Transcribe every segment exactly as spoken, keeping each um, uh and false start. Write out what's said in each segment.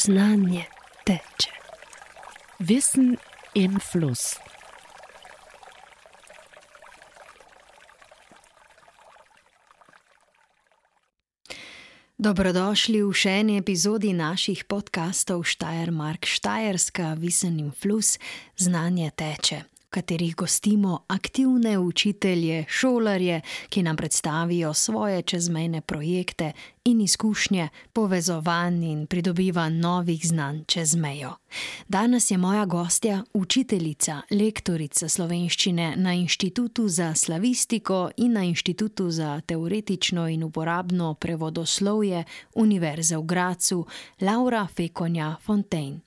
znanje teče. Wissen im Fluss. Dobrodošli v še eni epizodi naših podcastov Steiermark Štajerska, Wissen im Fluss, znanje teče, v katerih gostimo aktivne učitelje, šolarje, ki nam predstavijo svoje čezmejne projekte in izkušnje povezovanj in pridobivanj novih znanj čez mejo. Danes je moja gostja učiteljica, lektorica slovenščine na Inštitutu za slavistiko in na Inštitutu za teoretično in uporabno prevodoslovje Univerze v Gradcu, Laura Fekonja-Fontein.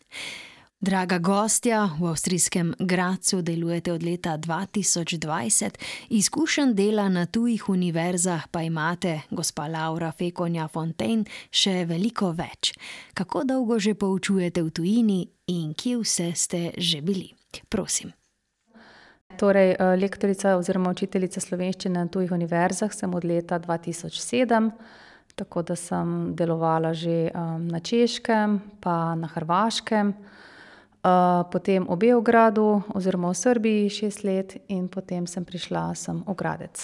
Draga gostja, v avstrijskem Gradcu delujete od leta dva tisoč dvajset, izkušenj dela na tujih univerzah pa imate, gospa Laura Fekonja-Fontein, še veliko več. Kako dolgo že poučujete v tujini in kje vse ste že bili? Prosim. Torej, lektorica oziroma učiteljica slovenščine na tujih univerzah sem od leta dva tisoč sedem, tako da sem delovala že um, na Češkem pa na Hrvaškem. Uh, potem v Beogradu oziroma v Srbiji šest let in potem sem prišla sem v Gradec.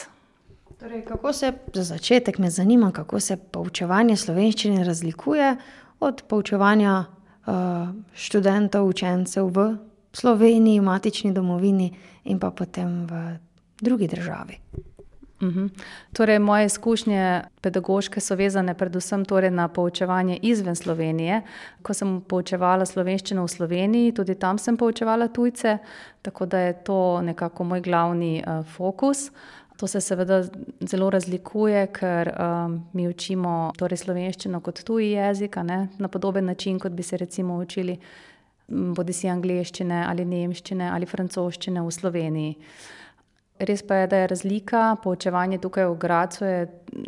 Torej, kako se, za začetek me zanima, kako se poučevanje slovenščine razlikuje od poučevanja uh, študentov, učencev v Sloveniji, v matični domovini in pa potem v drugi državi. Uhum. Torej, moje izkušnje pedagoške so vezane predvsem torej na poučevanje izven Slovenije. Ko sem poučevala slovenščino v Sloveniji, tudi tam sem poučevala tujce, tako da je to nekako moj glavni uh, fokus. To se seveda zelo razlikuje, ker um, mi učimo torej slovenščino kot tuji jezik, a ne, na podoben način, kot bi se recimo učili bodisi angleščine ali nemščine ali francoščine v Sloveniji. Res pa je, da je razlika, poučevanje tukaj v Gradcu je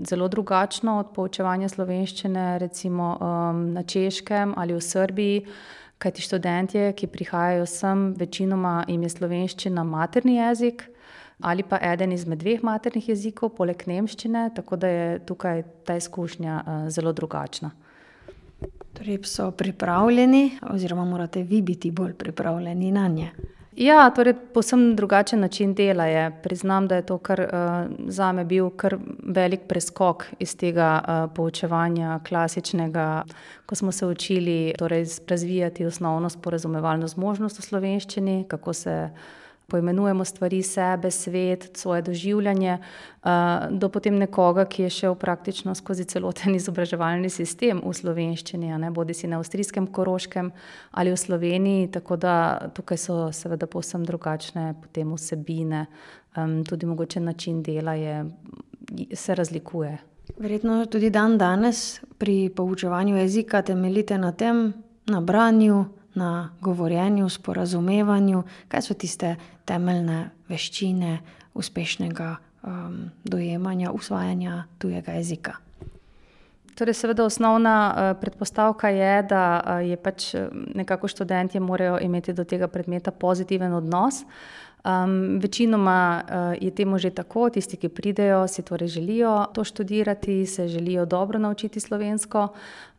zelo drugačno od poučevanja slovenščine recimo um, na Češkem ali v Srbiji, kajti študentje, ki prihajajo sem, večinoma jim je slovenščina materni jezik ali pa eden izmed dveh maternih jezikov, poleg nemščine, tako da je tukaj ta izkušnja uh, zelo drugačna. Torej so pripravljeni oziroma morate vi biti bolj pripravljeni na nje? Ja, torej povsem drugačen način dela je. Priznam, da je to kar uh, zame bil kar velik preskok iz tega uh, poučevanja klasičnega, ko smo se učili torej razvijati osnovno sporazumevalno zmožnost v slovenščini, kako se poimenujemo stvari, sebe, svet, svoje doživljanje, uh, do potem nekoga, ki je šel praktično skozi celoten izobraževalni sistem v slovenščini, a ne, bodisi na avstrijskem Koroškem ali v Sloveniji, tako da tukaj so seveda povsem drugačne potem vsebine, um, tudi mogoče način dela je, se razlikuje. Verjetno tudi dan danes pri poučevanju jezika temeljite na tem, na branju, na govorjenju, sporazumevanju. Kaj so tiste temeljne veščine uspešnega um, dojemanja, usvajanja tujega jezika? Torej, seveda osnovna uh, predpostavka je, da uh, je pač nekako študentje morajo imeti do tega predmeta pozitiven odnos. Um, večinoma uh, je temu že tako, tisti, ki pridejo, si torej želijo to študirati, se želijo dobro naučiti slovensko,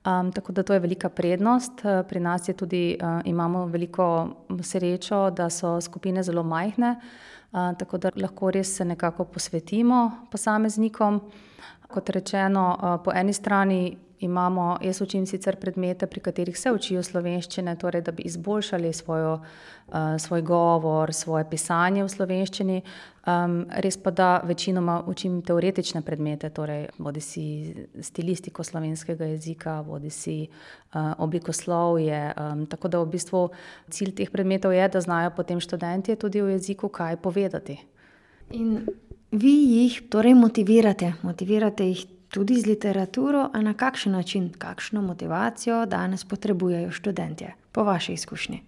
um, tako da to je velika prednost. Uh, pri nas je tudi, uh, imamo veliko srečo, da so skupine zelo majhne, uh, tako da lahko res se nekako posvetimo posameznikom. Kot rečeno, uh, po eni strani imamo, jaz učim sicer predmete, pri katerih se učijo slovenščine, torej da bi izboljšali svojo, uh, svoj govor, svoje pisanje v slovenščini. Um, res pa da večinoma učim teoretične predmete, torej bodisi stilistiko slovenskega jezika, bodisi uh, oblikoslovje. Um, tako da v bistvu cilj teh predmetov je, da znajo potem študentje tudi v jeziku kaj povedati. In vi jih torej motivirate, motivirate jih tudi z literaturo, a na kakšen način, kakšno motivacijo danes potrebujejo študentje, po vaši izkušnji?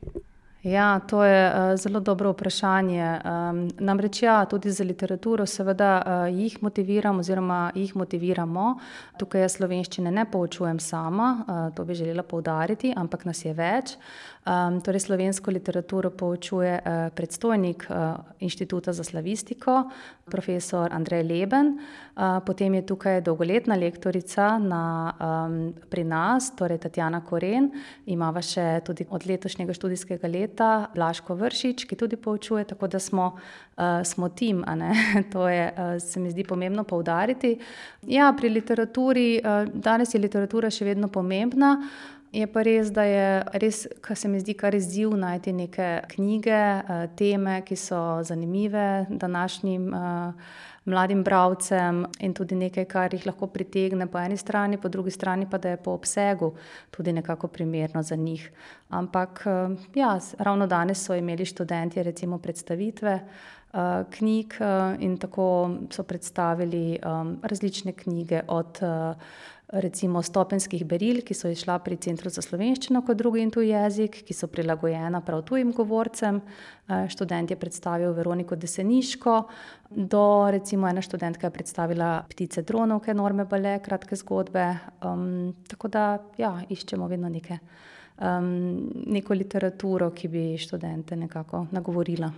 Ja, to je uh, zelo dobro vprašanje. Um, namreč ja, tudi za literaturo seveda uh, jih motiviram oziroma jih motiviramo. Tukaj jaz slovenščine ne poučujem sama, uh, to bi želela poudariti, ampak nas je več. Um, torej slovensko literaturo poučuje uh, predstojnik uh, Inštituta za slavistiko, profesor Andrej Leben. Uh, potem je tukaj dolgoletna lektorica na, um, pri nas, torej Tatjana Koren. Imava še tudi od letošnjega študijskega leta Blažko Vršič, ki tudi poučuje, tako da smo, uh, smo tim, a ne? To je, uh, se mi zdi pomembno poudariti. Ja, pri literaturi, uh, danes je literatura še vedno pomembna, je pa res, da je res, kar se mi zdi kar izziv najti neke knjige, uh, teme, ki so zanimive današnjim uh, mladim bralcem in tudi nekaj, kar jih lahko pritegne po eni strani, po drugi strani pa, da je po obsegu tudi nekako primerno za njih. Ampak ja, ravno danes so imeli študentje recimo predstavitve uh, knjig uh, in tako so predstavili um, različne knjige od uh, recimo stopenskih beril, ki so izšla pri Centru za slovenščino kot drugi in tuji jezik, ki so prilagojena prav tujim govorcem. Študent je predstavil Veroniko Deseniško, do recimo ena študentka je predstavila Ptice dronovke, Norme Bale, kratke zgodbe. Um, tako da ja, iščemo vedno neke, um, neko literaturo, ki bi študente nekako nagovorila.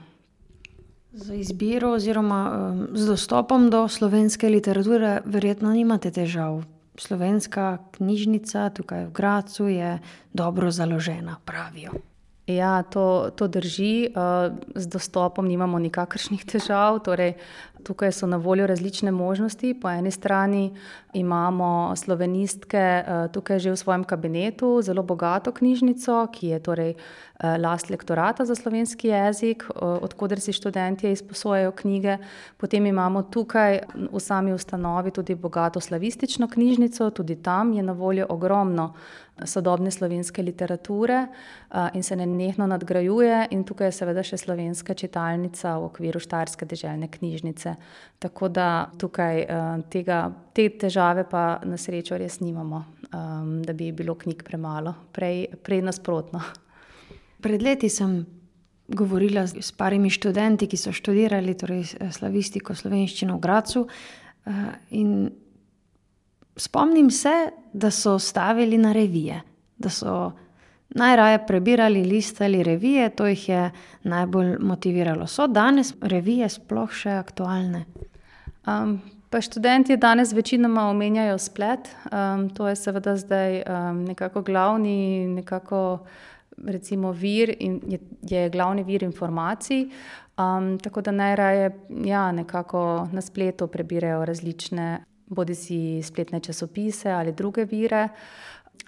Za izbiro oziroma um, z dostopom do slovenske literature verjetno nimate težav. Slovenska knjižnica tukaj v Gradcu je dobro založena, pravijo. Ja, to, to drži. Z dostopom nimamo nikakršnih težav. Torej, tukaj so na voljo različne možnosti. Po eni strani imamo slovenistke tukaj že v svojem kabinetu zelo bogato knjižnico, ki je torej last lektorata za slovenski jezik, od koder si študentje izposojajo knjige. Potem imamo tukaj v sami ustanovi tudi bogato slavistično knjižnico, tudi tam je na voljo ogromno sodobne slovenske literature in se nenehno nadgrajuje, in tukaj je seveda še slovenska čitalnica v okviru Štajerske deželne knjižnice. Tako da tukaj tega, te težave pa na srečo res nimamo, da bi bilo knjig premalo, prej, prej nasprotno. Pred leti sem govorila s parimi študenti, ki so študirali torej slavistiko, slovenščino v Gradcu, in spomnim se, da so stavili na revije, da so najraje prebirali, listali revije, to jih je najbolj motiviralo. So danes revije sploh še aktualne? Um, pa študenti danes večinoma omenjajo splet, um, to je seveda zdaj um, nekako glavni, nekako recimo vir in je, je glavni vir informacij, um, tako da najraje ja, nekako na spletu prebirajo različne bodisi spletne časopise ali druge vire.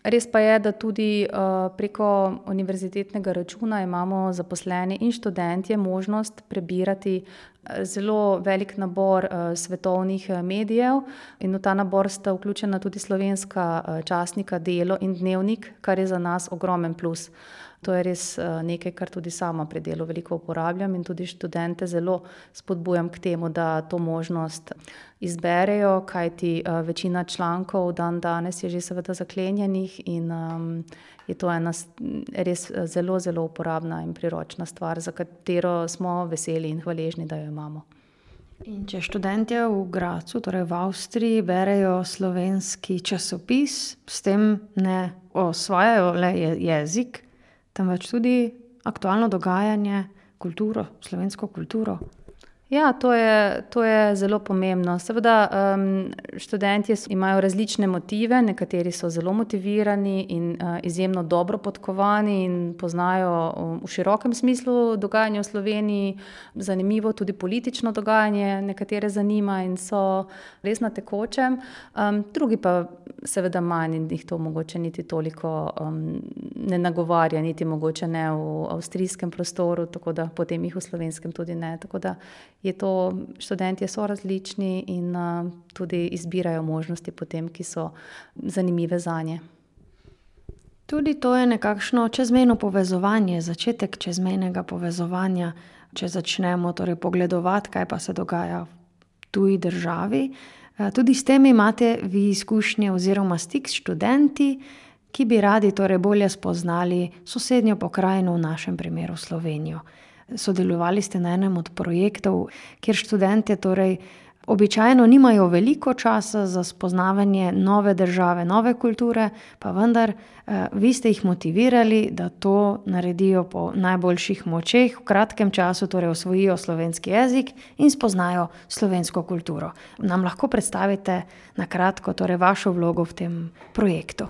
Res pa je, da tudi uh, preko univerzitetnega računa imamo zaposleni in študentje možnost prebirati zelo velik nabor uh, svetovnih medijev, in v ta nabor sta vključena tudi slovenska uh, časnika Delo in Dnevnik, kar je za nas ogromen plus. To je res nekaj, kar tudi sama pri delu veliko uporabljam, in tudi študente zelo spodbujam k temu, da to možnost izberejo, kajti večina člankov dan danes je že seveda zaklenjenih in um, je to ena res zelo, zelo uporabna in priročna stvar, za katero smo veseli in hvaležni, da jo imamo. In če študentje v Gradcu, torej v Avstriji, berejo slovenski časopis, s tem ne osvajajo le jezik, temveč tudi aktualno dogajanje, kulturo, slovensko kulturo. Ja, to je, to je zelo pomembno. Seveda um, študentje imajo različne motive, nekateri so zelo motivirani in uh, izjemno dobro podkovani in poznajo um, v širokem smislu dogajanje v Sloveniji, zanimivo tudi politično dogajanje, nekatere zanima in so res na tekočem. Um, drugi pa seveda manj in jih to mogoče niti toliko um, ne nagovarja, niti mogoče ne v avstrijskem prostoru, tako da potem jih v slovenskem tudi ne. Tako da je to, študentje so različni in uh, tudi izbirajo možnosti potem, ki so zanimive zanje. Tudi to je nekakšno čezmejno povezovanje, začetek čezmejnega povezovanja, če začnemo torej pogledovati, kaj pa se dogaja v tuji državi. Tudi s tem imate vi izkušnje oziroma stik s študenti, ki bi radi torej bolje spoznali sosednjo pokrajino, v našem primeru Slovenijo. Sodelovali ste na enem od projektov, kjer študentje torej običajno nimajo veliko časa za spoznavanje nove države, nove kulture, pa vendar eh, vi ste jih motivirali, da to naredijo po najboljših močeh, v kratkem času torej osvojijo slovenski jezik in spoznajo slovensko kulturo. Nam lahko predstavite na kratko torej vašo vlogo v tem projektu?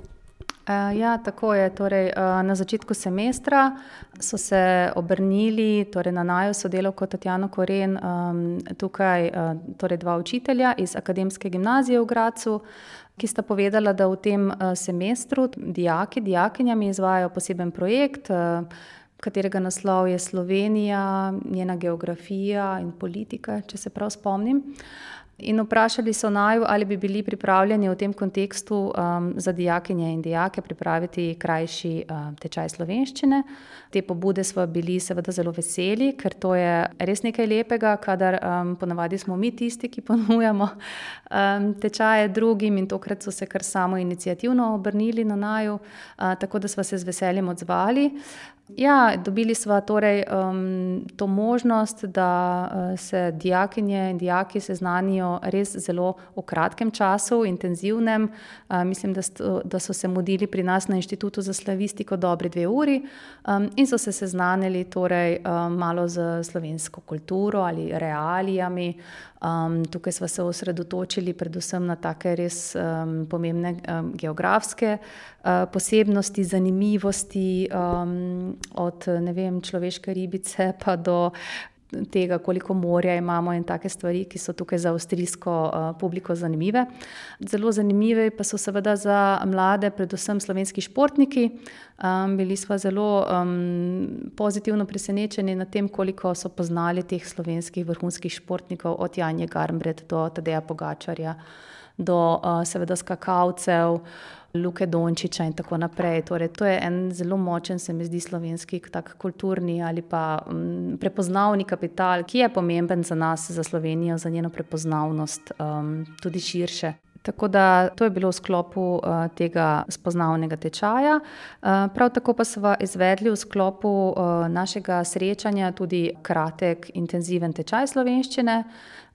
Ja, tako je. Torej, na začetku semestra so se obrnili torej na naju sodelavko Tatjano Koren, tukaj torej dva učitelja iz Akademske gimnazije v Gradcu, ki sta povedala, da v tem semestru dijaki, dijakinjami izvajajo poseben projekt, katerega naslov je Slovenija, njena geografija in politika, če se prav spomnim. In vprašali so naju, ali bi bili pripravljeni v tem kontekstu um, za dijakinje in dijake pripraviti krajši um, tečaj slovenščine. Te pobude smo bili seveda zelo veseli, ker to je res nekaj lepega, kadar um, ponavadi smo mi tisti, ki ponujamo um, tečaje drugim, in tokrat so se kar samo iniciativno obrnili na naju, uh, tako da smo se z veseljem odzvali. Ja, dobili smo torej um, to možnost, da uh, se dijakinje in dijaki seznanijo res zelo v kratkem času, intenzivnem. Uh, mislim, da, sto, da so se mudili pri nas na Inštitutu za slavistiko dobri dve uri um, in so se seznanili torej um, malo z slovensko kulturo ali realijami. Um, tukaj smo se osredotočili predvsem na take res um, pomembne um, geografske uh, posebnosti, zanimivosti, um, od ne vem, človeške ribice pa do tega, koliko morja imamo in take stvari, ki so tukaj za avstrijsko uh, publiko zanimive. Zelo zanimive pa so seveda za mlade, predvsem slovenski športniki. Um, bili smo zelo um, pozitivno presenečeni nad tem, koliko so poznali teh slovenskih vrhunskih športnikov, od Janje Garnbret do Tadeja Pogačarja, do uh, seveda skakalcev, Luke Dončića in tako naprej. Torej, to je en zelo močen, se mi zdi, slovenski tak kulturni ali pa um, prepoznavni kapital, ki je pomemben za nas, za Slovenijo, za njeno prepoznavnost, um, tudi širše. Tako da to je bilo v sklopu uh, tega spoznavnega tečaja. Uh, prav tako pa smo izvedli v sklopu uh, našega srečanja tudi kratek, intenziven tečaj slovenščine.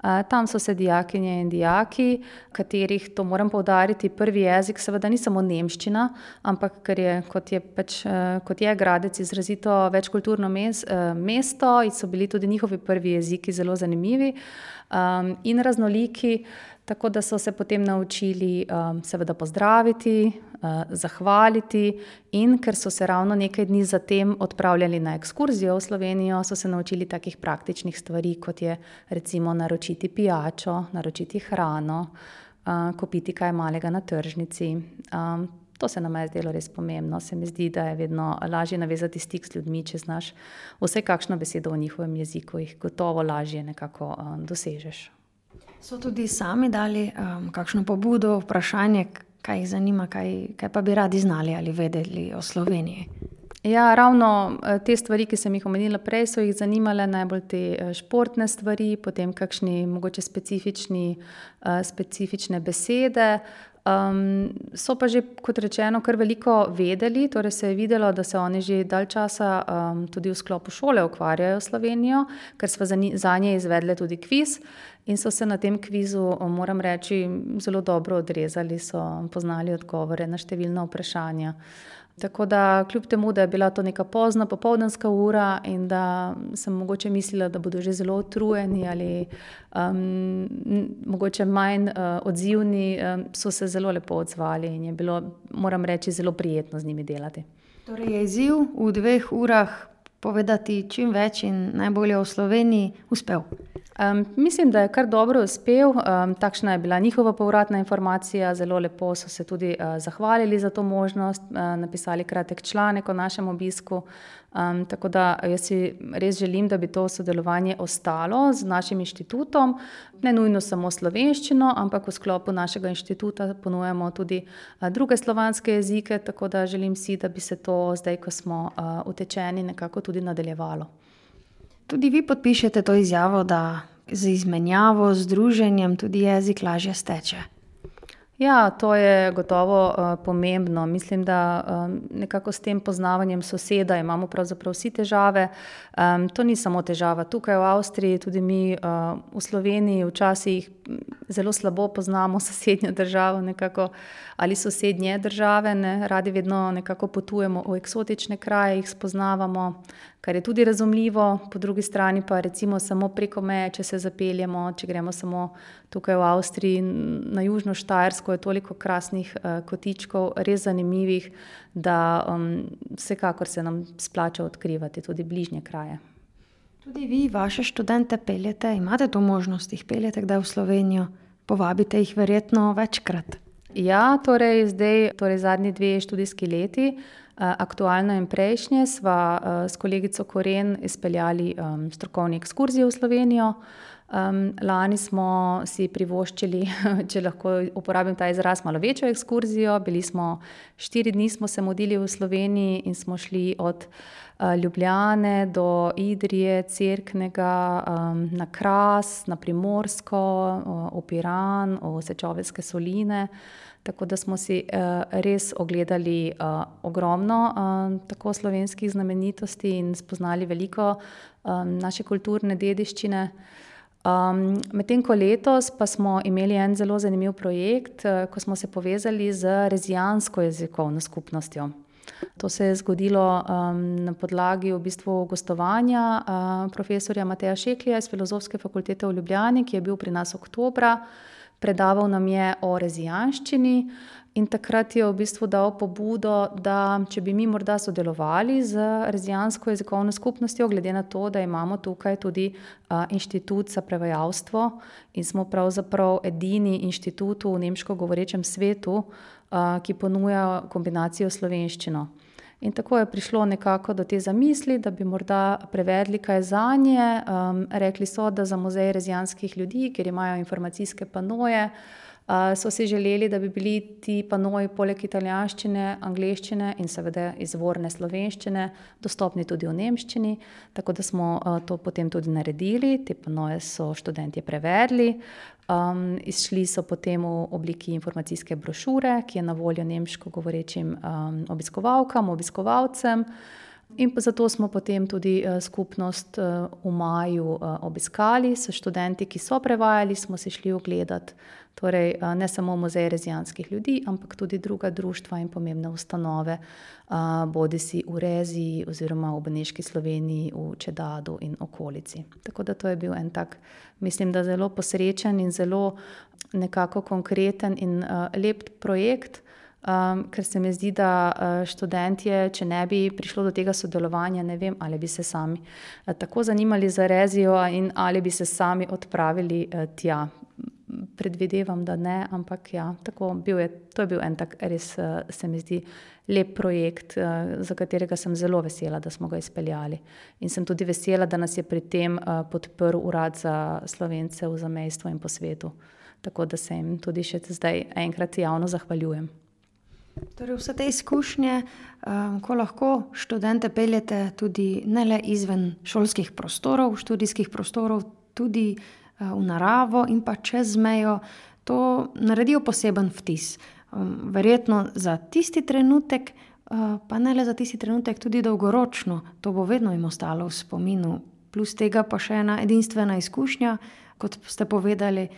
Uh, tam so se dijakinje in dijaki, katerih, to moram poudariti, prvi jezik seveda ni samo nemščina, ampak ker je, kot je, pač, uh, kot je Gradec izrazito večkulturno mes, uh, mesto, in so bili tudi njihovi prvi jeziki zelo zanimivi um, in raznoliki. Tako da so se potem naučili um, seveda pozdraviti, uh, zahvaliti, in ker so se ravno nekaj dni zatem odpravljali na ekskurzijo v Slovenijo, so se naučili takih praktičnih stvari, kot je recimo naročiti pijačo, naročiti hrano, uh, kupiti kaj malega na tržnici. Um, to se nam je zdelo res pomembno. Se mi zdi, da je vedno lažje navezati stik z ljudmi, če znaš vsaj kakšno besedo v njihovem jeziku, jih gotovo lažje nekako um, dosežeš. So tudi sami dali um, kakšno pobudo, vprašanje, kaj jih zanima, kaj, kaj pa bi radi znali ali vedeli o Sloveniji? Ja, ravno te stvari, ki sem jih omenila prej, so jih zanimale najbolj te športne stvari, potem kakšni mogoče specifični, uh, specifične besede. Um, so pa že, kot rečeno, kar veliko vedeli, torej se je videlo, da se oni že dalj časa um, tudi v sklopu šole ukvarjajo s Slovenijo, ker smo za, za nje izvedli tudi kviz in so se na tem kvizu, moram reči, zelo dobro odrezali, so poznali odgovore na številna vprašanja. Tako da kljub temu, da je bila to neka pozna popoldanska ura in da sem mogoče mislila, da bodo že zelo utrujeni ali um, mogoče manj uh, odzivni, um, so se zelo lepo odzvali in je bilo, moram reči, zelo prijetno z njimi delati. Torej je izziv v dveh urah povedati čim več in najbolje o Sloveniji uspel? Um, mislim, da je kar dobro uspel. Um, takšna je bila njihova povratna informacija. Zelo lepo so se tudi uh, zahvalili za to možnost, uh, napisali kratek članek o našem obisku. Um, tako da jaz si res želim, da bi to sodelovanje ostalo z našim inštitutom. Ne nujno samo slovenščino, ampak v sklopu našega inštituta ponujamo tudi uh, druge slovanske jezike, tako da želim si, da bi se to zdaj, ko smo uh, utečeni, nekako tudi nadaljevalo. Tudi vi podpišete to izjavo, da z izmenjavo, z druženjem tudi jezik lažje steče. Ja, to je gotovo uh, pomembno. Mislim, da um, nekako s tem poznavanjem soseda imamo pravzaprav vsi težave. Um, to ni samo težava tukaj v Avstriji, tudi mi uh, v Sloveniji včasih zelo slabo poznamo sosednjo državo nekako, ali sosednje države, ne? Radi vedno nekako potujemo v eksotične kraje, jih spoznavamo, kar je tudi razumljivo, po drugi strani pa recimo samo preko meje, če se zapeljemo, če gremo samo tukaj v Avstriji na južno Štajersko, je toliko krasnih uh, kotičkov, res zanimivih, da um, vsekakor se nam splača odkrivati tudi bližnje kraje. Tudi vi vaše študente peljete, imate to možnost, jih peljete kdaj v Slovenijo, povabite jih verjetno večkrat. Ja, torej zdaj, torej zadnji dve študijski leti, aktualno in prejšnje, sva s kolegico Koren izpeljali um, strokovni ekskurzije v Slovenijo. Um, lani smo si privoščili, če lahko uporabim ta izraz, malo večjo ekskurzijo. Bili smo, štiri dni smo se mudili v Sloveniji in smo šli od uh, Ljubljane do Idrije, Cerknega, um, na Kras, na Primorsko, uh, v Piran, v Sečoveljske soline. Tako da smo si uh, res ogledali uh, ogromno uh, tako slovenskih znamenitosti in spoznali veliko um, naše kulturne dediščine. Um, medtem ko letos pa smo imeli en zelo zanimiv projekt, uh, ko smo se povezali z rezijansko jezikovno skupnostjo. To se je zgodilo um, na podlagi v bistvu gostovanja uh, profesorja Mateja Šeklija iz Filozofske fakultete v Ljubljani, ki je bil pri nas oktobra. Predaval nam je o rezijanščini in takrat je v bistvu dal pobudo, da če bi mi morda sodelovali z rezijansko jezikovno skupnostjo, glede na to, da imamo tukaj tudi uh, inštitut za prevajalstvo in smo pravzaprav edini inštitut v nemško govorečem svetu, uh, ki ponuja kombinacijo slovenščino. In tako je prišlo nekako do te zamisli, da bi morda prevedli kaj zanje. Um, rekli so, da za muzej rezijanskih ljudi, ker imajo informacijske panoje, uh, so si želeli, da bi bili ti panoji poleg italijanščine, angleščine in seveda izvorne slovenščine dostopni tudi v nemščini. Tako da smo uh, to potem tudi naredili. Te panoje so študentje prevedli. Um, izšli so potem v obliki informacijske brošure, ki je na voljo nemško govorečim um, obiskovalkam, obiskovalcem. In zato smo potem tudi uh, skupnost uh, v maju uh, obiskali s študenti, ki so prevajali, smo si šli ogledati. Torej, uh, ne samo muzej rezijanskih ljudi, ampak tudi druga društva in pomembne ustanove, uh, bodisi v Reziji oziroma v Beneški Sloveniji, v Čedadu in okolici. Tako da to je bil en tak, mislim, da zelo posrečen in zelo nekako konkreten in uh, lep projekt, um, ker se mi zdi, da uh, študentje, če ne bi prišlo do tega sodelovanja, ne vem, ali bi se sami uh, tako zanimali za Rezijo in ali bi se sami odpravili uh, tja. Predvidevam, da ne, ampak ja, tako bil je, to je bil en tak res, uh, se mi zdi, lep projekt, uh, za katerega sem zelo vesela, da smo ga izpeljali. In sem tudi vesela, da nas je pri tem uh, podprl Urad za Slovence v zamejstvu in po svetu. Tako da se jim tudi še zdaj enkrat javno zahvaljujem. Torej vse te izkušnje, um, ko lahko študente peljete tudi ne le izven šolskih prostorov, študijskih prostorov, tudi v naravo in pa čez mejo, to naredijo poseben vtis. Verjetno za tisti trenutek, pa ne le za tisti trenutek, tudi dolgoročno, to bo vedno jim ostalo v spominu. Plus tega pa še ena edinstvena izkušnja, kot ste povedali,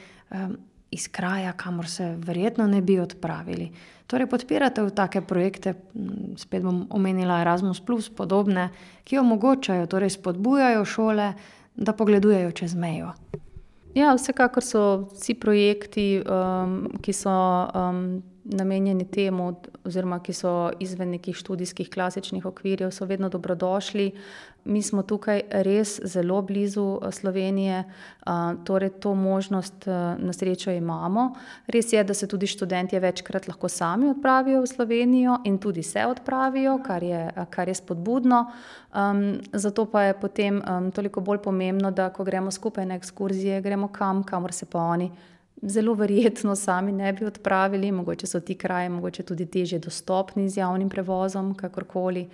iz kraja, kamor se verjetno ne bi odpravili. Torej podpirate v take projekte, spet bom omenila Erasmus plus, podobne, ki omogočajo, torej spodbujajo šole, da pogledujejo čez mejo. Ja, vsekakor so vsi projekti, um, ki so um, namenjeni temu oziroma ki so izven nekih študijskih klasičnih okvirjev, so vedno dobrodošli. Mi smo tukaj res zelo blizu Slovenije, uh, torej to možnost uh, na srečo imamo. Res je, da se tudi študentje večkrat lahko sami odpravijo v Slovenijo in tudi se odpravijo, kar je, kar je spodbudno. Um, zato pa je potem um, toliko bolj pomembno, da ko gremo skupaj na ekskurzije, gremo kam, kamor se pa oni zelo verjetno sami ne bi odpravili, mogoče so ti kraji mogoče tudi težje dostopni z javnim prevozom, kakorkoli.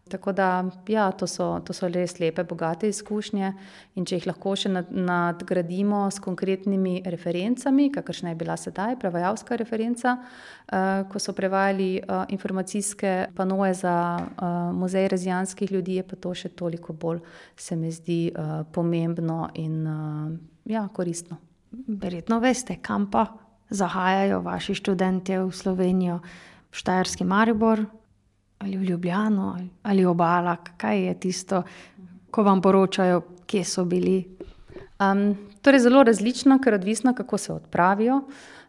Tako da, ja, to so, to so res lepe, bogate izkušnje in če jih lahko še nad, nadgradimo s konkretnimi referencami, kakršna je bila sedaj, prevajalska referenca, uh, ko so prevajali uh, informacijske panoje za uh, muzej rezijanskih ljudi, je pa to še toliko bolj, se mi zdi, uh, pomembno in uh, ja, koristno. Verjetno veste, kam pa zahajajo vaši študentje v Slovenijo, v Štajerski Maribor, ali v Ljubljano, ali Obala, kaj je tisto, ko vam poročajo, kje so bili? Um, torej zelo različno, ker odvisno, kako se odpravijo.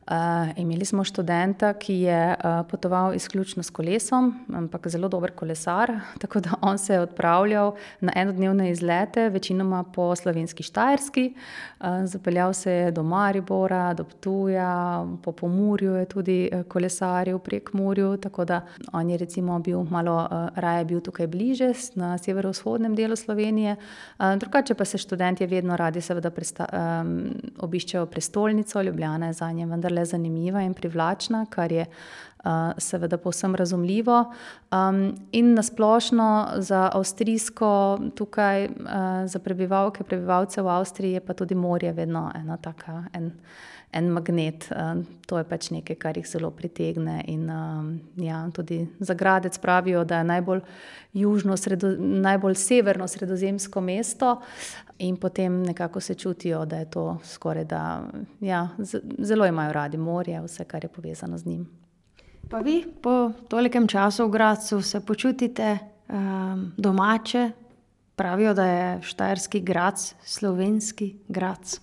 Uh, imeli smo študenta, ki je uh, potoval izključno s kolesom, ampak zelo dober kolesar, tako da on se je odpravljal na enodnevne izlete, večinoma po slovenski Štajerski. Uh, zapeljal se je do Maribora, do Ptuja, po Pomurju je tudi kolesaril, prek Murju, tako da on je recimo bil malo uh, raje bil tukaj bliže, na severovzhodnem delu Slovenije. Uh, drugače pa se študentje vedno radi seveda presta, um, obiščejo prestolnico, Ljubljana je zanje vendar le zanimiva in privlačna, kar je uh, seveda povsem razumljivo. Um, in nasplošno za avstrijsko tukaj, uh, za prebivalke, prebivalce v Avstriji je pa tudi morje vedno ena taka, en, en magnet. Uh, to je pač nekaj, kar jih zelo pritegne in um, ja, tudi za Gradec pravijo, da je najbolj južno, sredo, najbolj severno sredozemsko mesto in potem nekako se čutijo, da je to skoraj da, ja, zelo imajo radi morje, vse, kar je povezano z njim. Pa vi po tolikem času v Gradcu se počutite um, domače? Pravijo, da je Štajerski Gradc slovenski Gradc.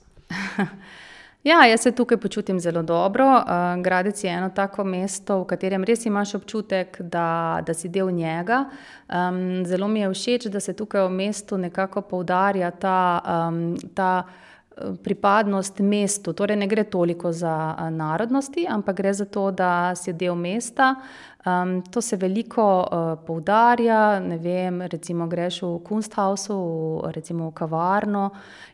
Ja, jaz se tukaj počutim zelo dobro. Uh, Gradec je eno tako mesto, v katerem res imaš občutek, da, da si del njega. Um, zelo mi je všeč, da se tukaj v mestu nekako poudarja ta, um, ta pripadnost mestu. Torej ne gre toliko za narodnosti, ampak gre za to, da si del mesta. Um, to se veliko uh, poudarja, ne vem, recimo greš v Kunsthausu, v, recimo v kavarno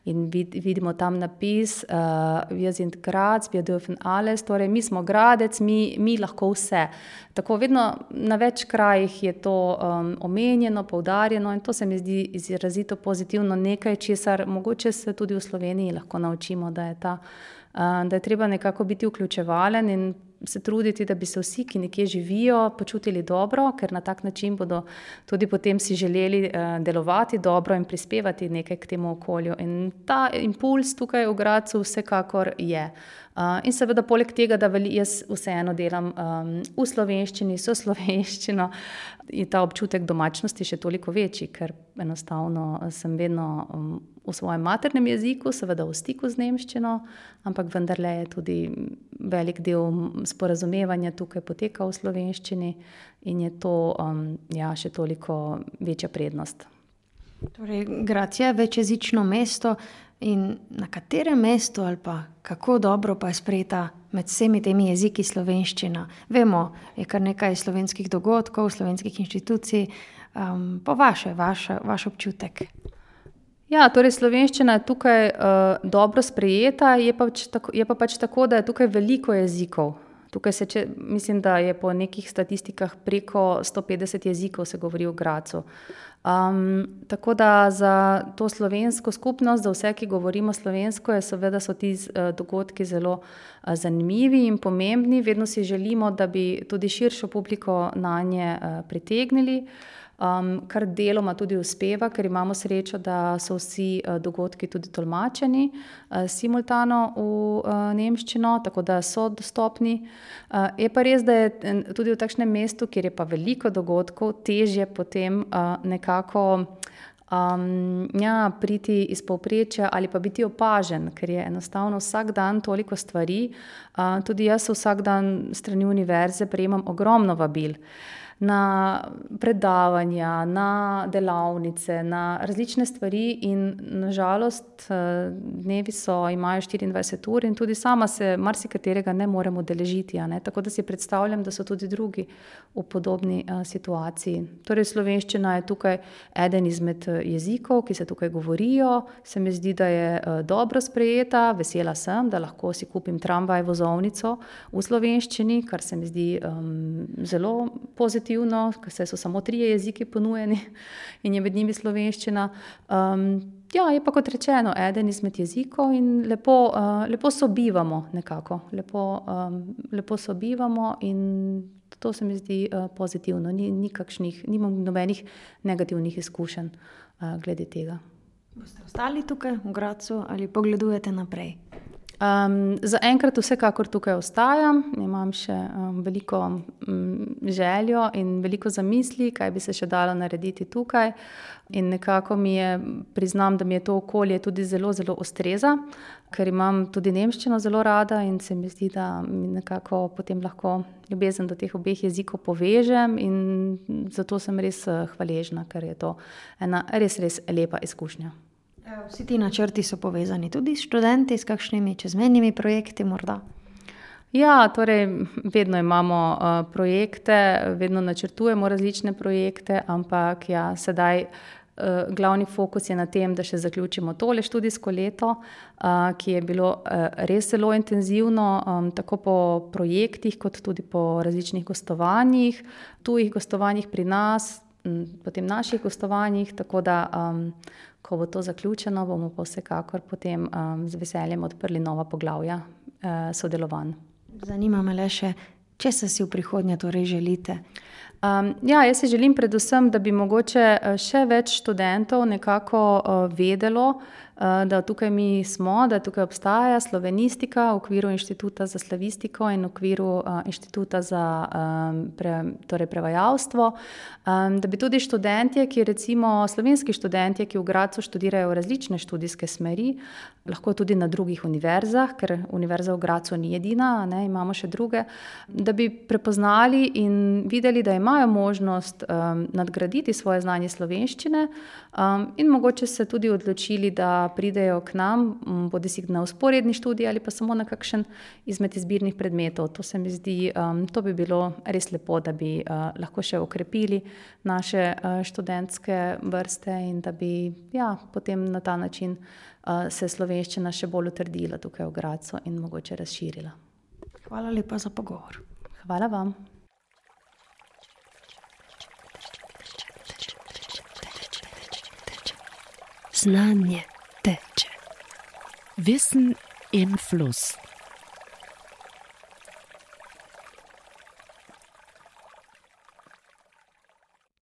in vid, vidimo tam napis uh, Wir sind Graz, wir dürfen alles, torej mi smo Gradec, mi, mi lahko vse. Tako vedno na več krajih je to um, omenjeno, poudarjeno in to se mi zdi izrazito pozitivno, nekaj, česar mogoče se tudi v Sloveniji lahko naučimo, da je, ta, uh, da je treba nekako biti vključevalen in se truditi, da bi se vsi, ki nekje živijo, počutili dobro, ker na tak način bodo tudi potem si želeli uh, delovati dobro in prispevati nekaj k temu okolju. In ta impuls tukaj v Gradcu vsekakor je. Uh, in seveda poleg tega, da veli, jaz vseeno delam um, v slovenščini, so slovenščino, je ta občutek domačnosti še toliko večji, ker enostavno sem vedno um, v svojem maternem jeziku, seveda v stiku z nemščino, ampak vendarle je tudi velik del sporazumevanja tukaj poteka v slovenščini in je to um, ja, še toliko večja prednost. Torej, Gradec je večjezično mesto in na katerem mestu ali pa kako dobro pa je sprejeta med vsemi temi jeziki slovenščina? Vemo, je kar nekaj slovenskih dogodkov, slovenskih inštitucij, um, pa vaše, vaš, vaš občutek. Ja, torej slovenščina je tukaj uh, dobro sprejeta, je pa, tako, je pa pač tako, da je tukaj veliko jezikov. Tukaj se, če, mislim, da je po nekih statistikah preko sto petdeset jezikov se govori v Gradcu. Um, tako da za to slovensko skupnost, za vse, ki govorimo slovensko, je seveda so ti uh, dogodki zelo uh, zanimivi in pomembni. Vedno si želimo, da bi tudi širšo publiko na nje uh, pritegnili. Um, kar deloma tudi uspeva, ker imamo srečo, da so vsi uh, dogodki tudi tolmačeni uh, simultano v uh, nemščino, tako da so dostopni. Uh, je pa res, da je tudi v takšnem mestu, kjer je pa veliko dogodkov, težje potem uh, nekako um, ja, priti iz povprečja ali pa biti opažen, ker je enostavno vsak dan toliko stvari. Uh, tudi jaz vsak dan s strani univerze prejemam ogromno vabil. na predavanja, na delavnice, na različne stvari in nažalost dnevi so, imajo štiriindvajset ur in tudi sama se marsikaterega ne morem udeležiti, a ne, tako da si predstavljam, da so tudi drugi v podobni a, situaciji. Torej slovenščina je tukaj eden izmed jezikov, ki se tukaj govorijo, se mi zdi, da je a, dobro sprejeta, vesela sem, da lahko si kupim tramvaj vozovnico v slovenščini, kar se mi zdi um, zelo pozitivno, ker se so samo trije jeziki ponujeni in je med njimi slovenščina. Um, ja, je pa kot rečeno, eden izmed jezikov in lepo, uh, lepo sobivamo nekako, lepo, um, lepo sobivamo in to se mi zdi uh, pozitivno, ni, ni kakšnih, nimam nobenih negativnih izkušenj uh, glede tega. Boste ostali tukaj v Gradcu ali pogledujete naprej? Um, za enkrat vsekakor tukaj ostajam, imam še um, veliko um, željo in veliko zamisli, kaj bi se še dalo narediti tukaj in nekako mi je, priznam, da mi je to okolje tudi zelo, zelo ustreza, ker imam tudi nemščino zelo rada in se mi zdi, da mi nekako potem lahko ljubezen do teh obeh jezikov povežem in zato sem res hvaležna, ker je to ena res, res lepa izkušnja. Vsi ti načrti so povezani tudi s študenti, s kakšnimi čezmejnimi projekti morda? Ja, torej vedno imamo uh, projekte, vedno načrtujemo različne projekte, ampak ja, sedaj uh, glavni fokus je na tem, da še zaključimo tole študijsko leto, uh, ki je bilo uh, res zelo intenzivno, um, tako po projektih, kot tudi po različnih gostovanjih, tujih gostovanjih pri nas, m, potem naših gostovanjih, tako da um, ko bo to zaključeno, bomo pa vsekakor potem um, z veseljem odprli nova poglavja uh, sodelovanj. Zanima me le še, česa si v prihodnje torej želite? Um, ja, jaz si želim predvsem, da bi mogoče še več študentov nekako uh, vedelo, uh, da tukaj mi smo, da tukaj obstaja slovenistika v okviru Inštituta za slavistiko in v okviru uh, Inštituta za um, pre, torej prevajalstvo, um, da bi tudi študentje, ki recimo slovenski študentje, ki v Gradcu študirajo različne študijske smeri, lahko tudi na drugih univerzah, ker univerza v Gradcu ni edina, ne, imamo še druge, da bi prepoznali in videli, da imajo možnost um, nadgraditi svoje znanje slovenščine um, in mogoče se tudi odločili, da pridejo k nam, um, bodisi na vzporedni študij ali pa samo na kakšen izmed izbirnih predmetov. To se mi zdi, um, to bi bilo res lepo, da bi uh, lahko še okrepili naše uh, študentske vrste in da bi ja, potem na ta način uh, se slovenščina še bolj utrdila tukaj v Gradcu in mogoče razširila. Hvala lepa za pogovor. Hvala vam. Znanje teče. Wissen im Fluss.